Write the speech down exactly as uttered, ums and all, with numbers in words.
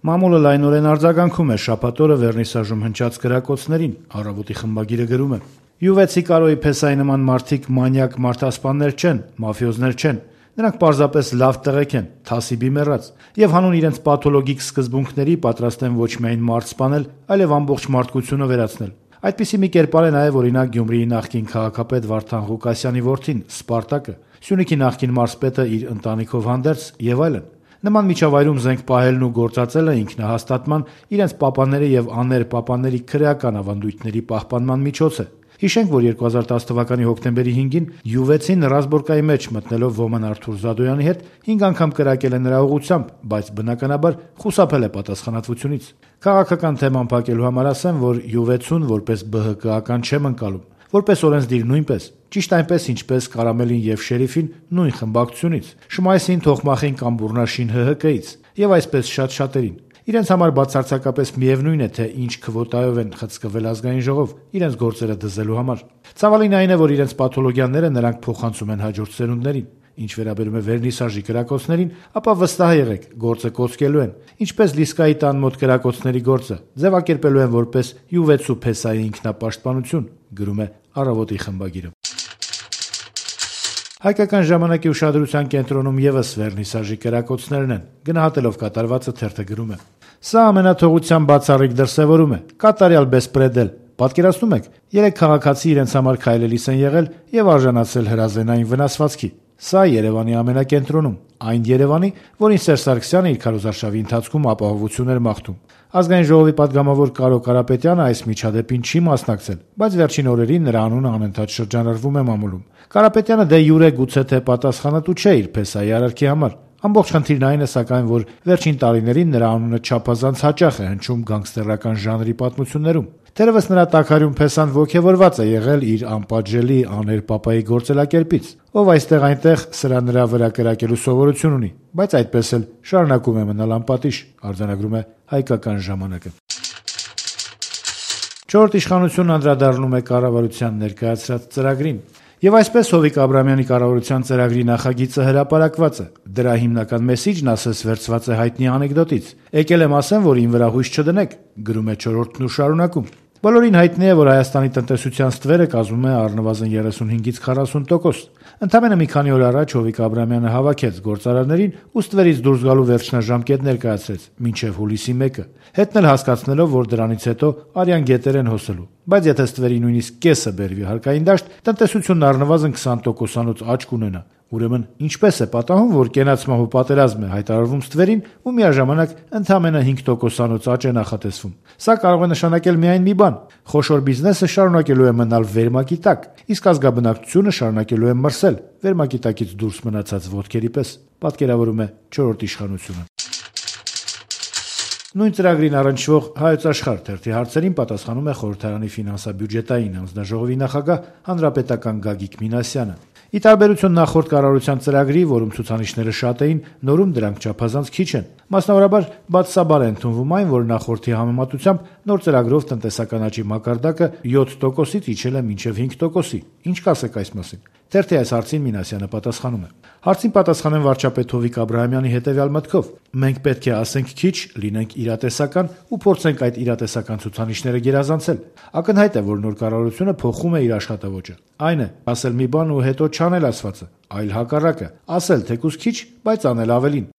Մամուլը լայնորեն արձագանքում է շաբաթ օրը Վերնիսաժում հնչած կրակոցներին, Առավոտի խմբագիրը գրում է. «Յուվեցի Կարոյի Փեսայի նման մարդիկ մանյակ մարդասպաններ չեն, մաֆիոզներ չեն, նրանք պարզապես լավ տղեկ են, թասիբի մեռած, եւ հանուն իրենց պաթոլոգիկ սկզբունքների պատրաստ են ոչ միայն մարդ սպանել, այլև ամբողջ մարդկությունը վերացնել։ Այդպիսի մի կերպար է նաեւ օրինակ Գյումրիի նախկին քաղաքապետ Վարդան Ղուկասյանի որդին, Սպարտակը, Սյունիքի նախկին մարզպետը իր ընտանիքով հանդերձ եւ այլն։ Նման միջավայրում զենք պահելն ու գործածելը ինքնահաստատման, իրենց պապաների եւ աներպապաների քրեական ավանդույթների պահպանման միջոց է։ Հիշենք, որ երկու հազար տասը թվականի հոկտեմբերի հինգին Յուվեցին Ռազբորկայի մեջ մտնելով Ոման Արթուր Զադոյանի հետ հինգ անգամ կրակել է նրա ուղղությամբ, բայց բնականաբար խուսափել է պատասխանատվությունից։ Քաղաքական թեման փակելու համար ասեմ, որ Յուվեցուն որպես ԲՀԿ-ական չեմ ընկալում, որպես օրենսդիր նույնպես, ճիշտ այնպես ինչպես Կարամելին եւ Շերիֆին նույն խմբակցությունից, Շմայսին, Թոխմախին կամ Բուռնաշին ՀՀԿ-ից եւ այսպես շատ շատերին։ Իրենց համար բացարձակապես միևնույն է, թե ինչ քվոտայով են խցկվել ազգային ժողով իրենց գործերը դզելու համար։ Ցավալին այն է, որ իրենց պաթոլոգիաները նրանք փոխանցում են հաջորդ սերունդներին։ Ինչ վերաբերում է Վերնիսաժի կրակոցներին, ապա վստահ եղեք, գործը կոծկելու են, ինչպես Լիսկայի տան մոտ կրակոցների գործը, ձևակերպելու են որպես Յուվեցու Փեսայի ինքնապաշտպանություն, գրում է Առավոտի խմբագիրը։ Հայկական ժամանակի ուշադրության կենտրոնում եւս Վերնիսաժի կրակոցներն են, գնահատելով կատարվածը թերթը գրում է. «Սա ամենաթողության բացառիկ դրսևորում է, կատարյալ բեսպրեդել։ Պատկերացնում եք, երեք քաղաքացի իրենց համար քայլելիս են եղել եւ արժանացել հրազենային վնասվածքի։ Սա Երևանի ամենակենտրոնում, այն Երևանի, որին Սերժ Սարգսյանը իր քարոզարշավի ընթացքում ապահովություն էր մաղթում։ Ազգային ժողովի պատգամավոր Կարո Կարապետյանը այս միջադեպին չի մասնակցել, բայց վերջին օրերին նրա անունը անընդհատ շրջանառվում է մամուլում։ Կարապետյանը դե յուրե գուցե թե պատասխանատու չէ իր Փեսայի արարքի համար։ Ամբողջ խնդիրն այն է սակայն, որ վերջին տարիներին նրա անունը չափազանց հաճախ է հնչում գանգստերական ժանրի պատմություններում։ Թերևս նրա տաքարյուն Փեսան ոգևորված է եղել իր անպատժելի աներպապայի գործելակերպից, ով այստեղ-այնտեղ սրա նրա վրա կրակելու սովորություն ունի, բայց այդպես էլ շարունակում է մնալ անպատիժ», արձանագրում է Հայկական ժամանակը։ Չորրորդ իշխանությունն անդրադառնում է կառավարության ներկայացրած ծրագրին։ Եվ այսպես Հովիկ Աբրահամյանի կառավարության ծրագրի նախագիծը հրապարակված է։ Դրա հիմնական մեսիջն ասես վերցված է հայտնի անեկդոտից։ Եկել եմ ասեմ, որ ին վրա հույս չդնեք, գրում է Չորրորդն ու շարունակում։ Բոլորին հայտնի է, որ Հայաստանի տնտեսության ստվերը կազմում է առնվազն երեսունհինգից քառասուն տոկոս։ Ընդամենը մի քանի օր առաջ Հովիկ Աբրահամյանը հավաքեց գործարարներին ու ստվերից դուրս գալու վերջնաժամկետ ներկայացրեց՝ մինչև հուլիսի մեկը, հետն էլ հասկացնելով, որ դրանից հետո արյան գետեր են հոսելու։ Բայց եթե ստվերի նույնիսկ կեսը բերվի հարկային դաշտ, տնտեսությունն առնվազն քսան տոկոսանոց աճ կունենա։ Ուրեմն ինչպես է պատահում, որ կենաց մահու պատերազմ է հայտարարվում ստվերին ու միաժամանակ ընդամենը հինգ տոկոսանոց աճ է նախատեսվում։ Սա կարող է նշանակել միայն մի բան՝ խոշոր բիզնեսը շարունակելու է մնալ վերմակի տակ, իսկ ազգաբնակչությունը շարունակելու է մրսել վերմակի տակից դուրս մնացած ոտքերի պես, պատկերավորում է Չորրորդ իշխանությունը։ Նույն ծրագրին առնչվող Հայոց Աշխարհ թերթի հարցերին պատասխանում է խորհրդարանի ֆինանսա-բյուջետային անձնաժողովի նախագահ հանրապետական Գագիկ Մինասյանը։ Ի տարբերություն նախորդ կառավարության ծրագրի, որում ցուցանիշները շատ էին, նորում դրանք չափազանց քիչ են։ Մասնավորաբար, բացասաբար է ընդունվում այն, որ նախորդի համեմատությամբ նոր ծրագրով տնտեսական աճի մակարդակը յոթ տոկոսից իջել է մինչև հինգ տոկոսի։ Ինչ կասեք այս մասին։ Թերթի այս հարցին Մինասյանը պատասխանում է. Հարցին պատասխանեն վարչապետ Հովիկ Աբրահամյանի հետևյալ մտքով. մենք պետք է ասենք քիչ, լինենք իրատեսական ու փորձենք այդ իրատեսական ցուցանիշները գերազանցել։ Ակնհայտ է, որ նոր կառավարությունը փոխում է իր աշխատավոճը։ Այն է, ասել մի բան ու հետո չանել ասվածը, այլ հակառակը, ասել թեկուզ քիչ, բայց անել ավելին։